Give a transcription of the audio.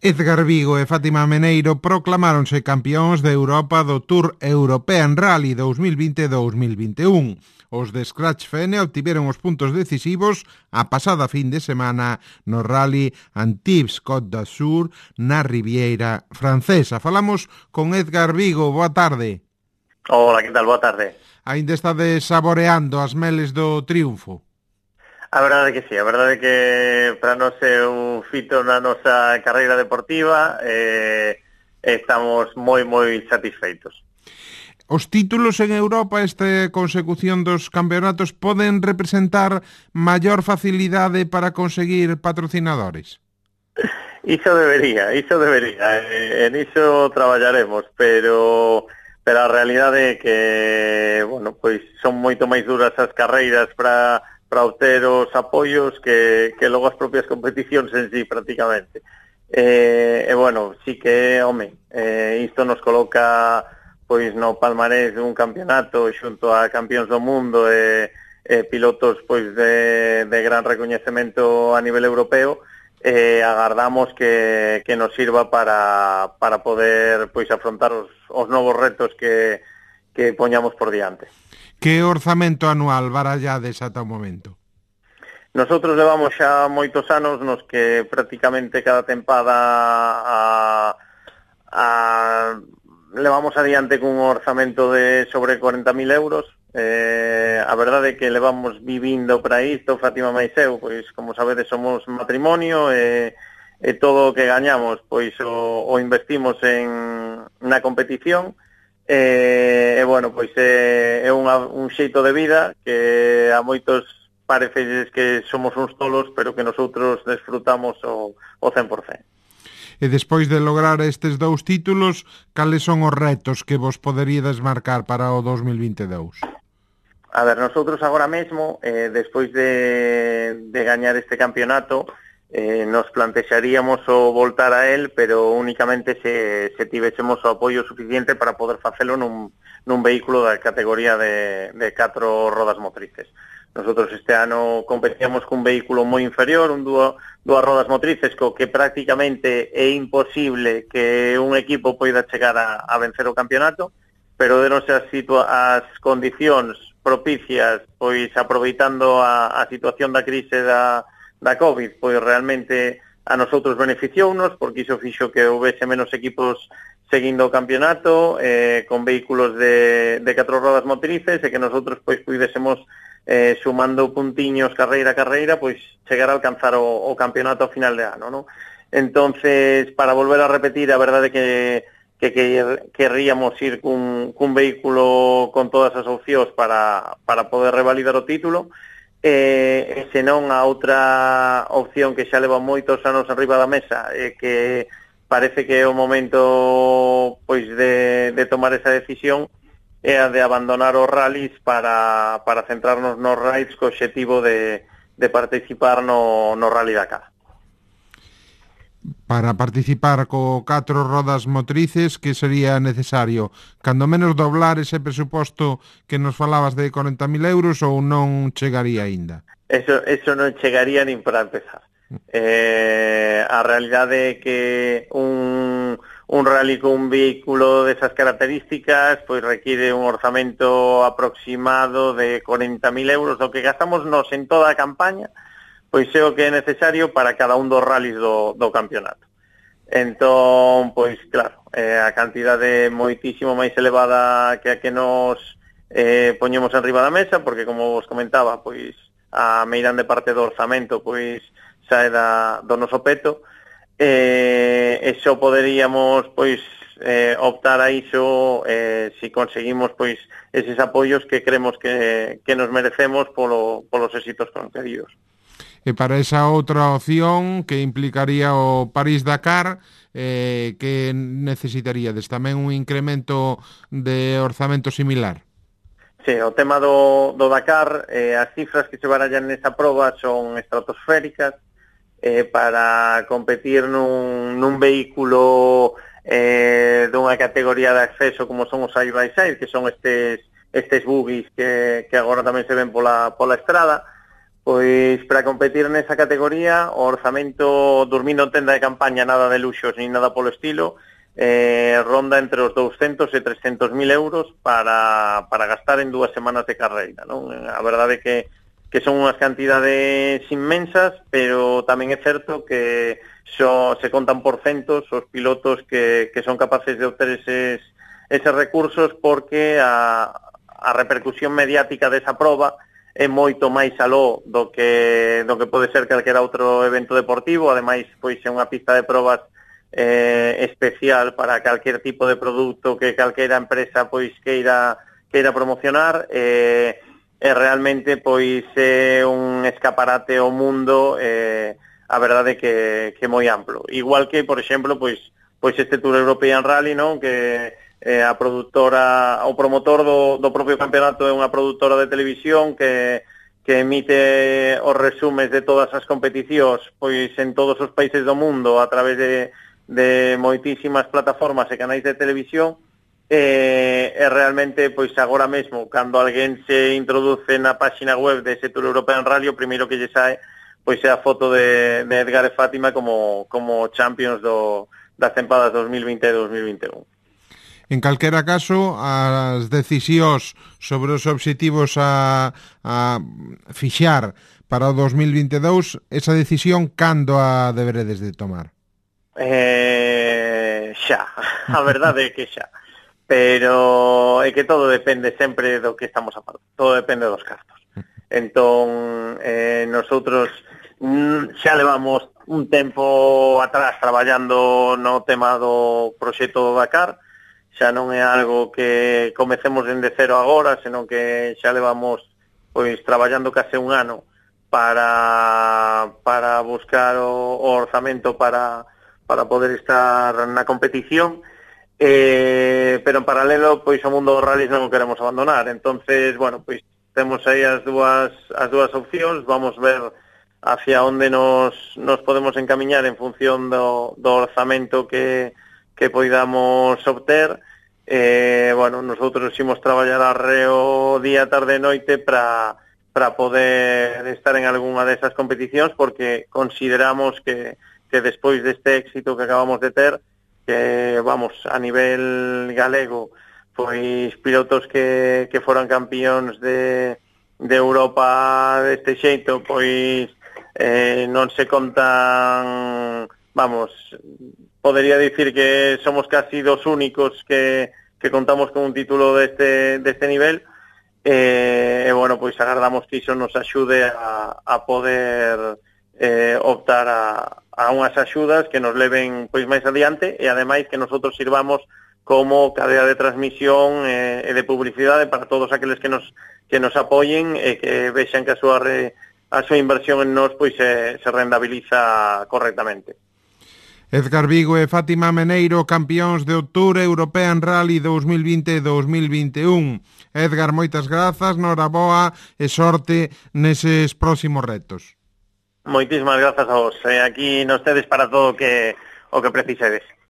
Edgar Vigo e Fátima Meneiro proclamáronse campións de Europa do Tour European Rally 2020-2021. Os de Scratch Fene obtiveron os puntos decisivos a pasada fin de semana no Rally Antibes-Côte d'Azur na Riviera Francesa. Falamos con Edgar Vigo. Boa tarde. Hola, que tal? Boa tarde. Aínda estades saboreando as meles do triunfo? A verdade que sí, a verdade que para nós é un fito na nosa carreira deportiva, estamos moi satisfeitos. Os títulos en Europa, esta consecución dos campeonatos, poden representar maior facilidade para conseguir patrocinadores? Iso debería, en iso traballaremos, pero a realidade é que, bueno, pois son moito máis duras as carreiras para obter os apoios que logo as propias competicións en sí, prácticamente. Bueno, sí que, isto nos coloca pois no palmarés dun campeonato xunto a campións do mundo e pilotos pois de gran recoñecemento a nivel europeo. Agardamos que nos sirva para poder pois afrontar os novos retos que poñamos por diante. Que orzamento anual barallades ata o momento? Nosotros levamos xa moitos anos nos que prácticamente cada tempada levamos adiante cun orzamento de sobre 40.000 euros. A verdade é que levamos vivindo para isto, Fátima máis eu, pois como sabedes somos matrimonio e todo o que gañamos pois o investimos na competición. Bueno, pois é un xeito de vida que a moitos parece que somos uns tolos, pero que nosotros desfrutamos o 100%. E despois de lograr estes dous títulos, cales son os retos que vos poderíades marcar para o 2022? A ver, nosotros agora mesmo, despois de gañar este campeonato, nos plantexaríamos o voltar a él, pero únicamente se tivésemos o apoio suficiente para poder facelo nun vehículo da categoría de 4 rodas motrices. Nosotros este ano competíamos cun vehículo moi inferior, dúas rodas motrices, co que prácticamente é imposible que un equipo poida chegar a vencer o campeonato, pero deronse as condicións propicias, pois aproveitando a situación da crise da COVID, pois realmente a nosotros beneficiounos, porque iso fixo que houvese menos equipos seguindo o campeonato, con vehículos de 4 rodas motrices, e que nosotros pois puidésemos sumando puntiños carreira a carreira, pois chegar a alcanzar o campeonato ao final de ano, non? Entonces, para volver a repetir, a verdade que querríamos ir cun vehículo con todas as opcións para poder revalidar o título. Senón a outra opción que xa leva moitos anos arriba da mesa, que parece que é o momento pois de tomar esa decisión, é a de abandonar os rallies para centrarnos nos raids co obxectivo de participar no Rally Dakar. Para participar co 4 rodas motrices, que sería necesario? Cando menos doblar ese presuposto que nos falabas de 40.000 euros, ou non chegaría aínda? Eso non chegaría nin para empezar. A realidade é que un rally con un vehículo desas características pois requiere un orzamento aproximado de 40.000 euros, o que gastamos nos en toda a campaña, pois é o que é necesario para cada un dos rallies do campeonato. Entón, pois claro, a cantidade moitísimo máis elevada que a que nos poñemos enriba da mesa, porque como vos comentaba, pois a meirande parte do orzamento pois sae do noso peto, e só poderíamos pois optar a iso se conseguimos pois eses apoios que creemos que nos merecemos polos éxitos concedidos. E para esa outra opción que implicaría o París-Dakar, que necesitaríades? Tamén un incremento de orzamento similar? Sí, o tema do Dakar, as cifras que se barallan nesa proba son estratosféricas. Para competir nun vehículo dunha categoría de acceso como son os side-by-side, que son estes buggies que agora tamén se ven pola estrada, Pois para competir nesa categoría o orzamento, dormindo en tenda de campaña, nada de luxos ni nada polo estilo, ronda entre os 200 e 300.000 euros para gastar en 2 semanas de carreira, non? A verdade que son unhas cantidades inmensas, pero tamén é certo que se contan por centos os pilotos que son capaces de obter eses recursos, porque a repercusión mediática desa proba é moito máis aló do que pode ser calquera outro evento deportivo. Ademais, pois é unha pista de probas especial para calquer tipo de produto que calquera empresa pois queira promocionar, e realmente pois é un escaparate ao mundo, a verdade que moi amplo. Igual que, por exemplo, pois este Tour European Rally, non? Que a produtora, o promotor do propio campeonato é unha produtora de televisión que emite os resumes de todas as competicións pois en todos os países do mundo a través de moitísimas plataformas e canais de televisión, e realmente pois agora mesmo cando alguén se introduce na páxina web de ese Tour European Rally, o primeiro que lle sae pois é a foto de Edgar e Fátima como champions das tempadas 2020 e 2021. En calquera caso, as decisións sobre os obxectivos a fixar para o 2022, esa decisión cando a deberedes de tomar? Xa, a verdade é que xa. Pero é que todo depende sempre do que estamos a falar. Todo depende dos cartos. Entón, nosotros xa levamos un tempo atrás traballando no tema do proxecto do Dakar. Xa non é algo que comecemos dende cero agora, senón que xa levamos pois traballando case un ano para buscar o orzamento para poder estar na competición, pero en paralelo pois o mundo dos rallies non o queremos abandonar. Entonces, bueno, pois temos aí as dúas opcións. Vamos ver hacia onde nos podemos encamiñar en función do orzamento que poidamos obter. Bueno, nosotros imos traballar arreo día, tarde e noite para poder estar en algunha desas competicións, porque consideramos que despois deste éxito que acabamos de ter, que vamos, a nivel galego, pois pilotos que foran campións de Europa deste xeito, pois non se contan, vamos, podería dicir que somos casi dos únicos que contamos con un título deste nivel, e bueno, pois agardamos que iso nos axude a poder optar a unhas axudas que nos leven pois máis adiante, e ademais que nosotros sirvamos como cadea de transmisión e de publicidade para todos aqueles que nos apoyen e que vexan que a súa inversión en nós pois se rentabiliza correctamente. Edgar Vigo e Fátima Meneiro, campións de Tour European Rally 2020 e 2021. Edgar, moitas grazas, noraboa e sorte neses próximos retos. Moitísimas grazas a vos. Aquí nos tedes para todo o que precisedes.